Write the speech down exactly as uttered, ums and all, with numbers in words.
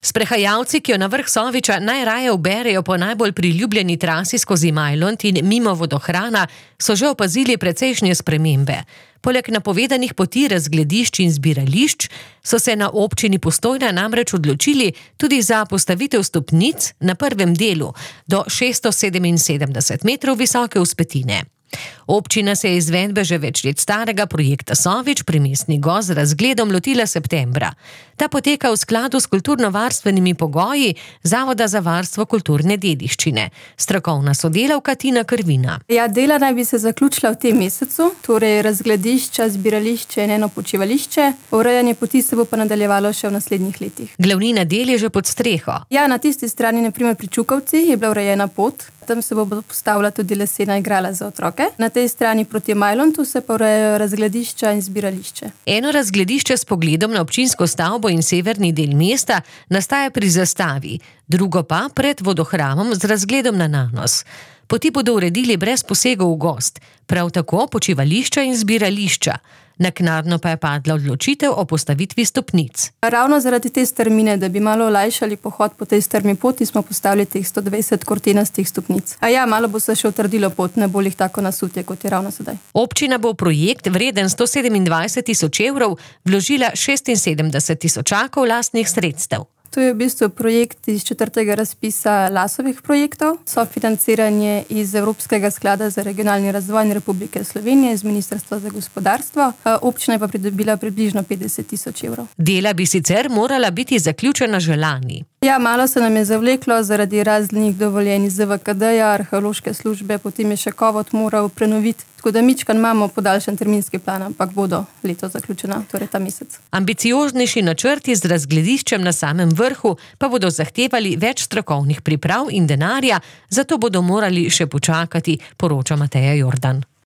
Sprehajalci, ki jo na vrh Soviča najraje uberejo po najbolj priljubljeni trasi skozi Majlont in mimo vodohrana, so že opazili precejšnje spremembe. Poleg napovedanih poti razgledišč in zbirališč so se na občini Postojna namreč odločili tudi za postavitev stopnic na prvem delu do šeststo sedeminsedemdeset metrov visoke vzpetine. Občina se je izvedbe že več let starega projekta Sovič pri Mestni gozd z razgledom lotila septembra. Ta poteka v skladu s kulturno-varstvenimi pogoji Zavoda za varstvo kulturne dediščine. Strokovna sodelavka Tina Krvina. Ja, dela naj bi se zaključila v tem mesecu, torej razgledišča, zbirališče in eno počivališče. Urejanje poti se bo pa nadaljevalo še v naslednjih letih. Glavnina del je že pod streho. Ja, na tisti strani, na primer pri Čukovci, je bila urejena pot. Tam se bo postavila tudi lesena igrala za otroke. Na tej strani proti Majlontu se pa urejajo razgledišča in zbirališče. Eno razgledišče s pogledom na občinsko stavbo in severni del mesta nastaja pri zastavi, drugo pa pred vodohramom z razgledom na Nanos. Poti bodo uredili brez posegov v gozd, prav tako počivališča in zbirališča. Naknadno pa je padla odločitev o postavitvi stopnic. Ravno zaradi te strmine, da bi malo olajšali pohod po tej strmi poti, smo postavili teh sto dvajset kortenastih stopnic. A ja, malo bo se še utrdilo pot, ne bo jih tako nasutje, kot je ravno sedaj. Občina bo v projekt vreden sto sedemindvajset tisoč evrov vložila šestinsedemdeset tisočakov lastnih sredstev. To je v bistvu projekt iz četrtega razpisa Lasovih projektov, sofinanciranje iz Evropskega sklada za regionalni razvoj Republike Slovenije z Ministrstva za gospodarstvo. Občina je pa pridobila približno petdeset tisoč evrov. Dela bi sicer morala biti zaključena že lani. Ja, malo se nam je zavleklo zaradi raznih dovoljenj iz Z V K D-ja, arheološke službe, potem je še Kovot moral prenoviti. Tako da mičkan imamo podaljšan terminski plan, ampak bodo leto zaključena, torej ta mesec. Ambicioznejši načrti z razglediščem na samem vrhu pa bodo zahtevali več strokovnih priprav in denarja, zato bodo morali še počakati, poroča Mateja Jordan.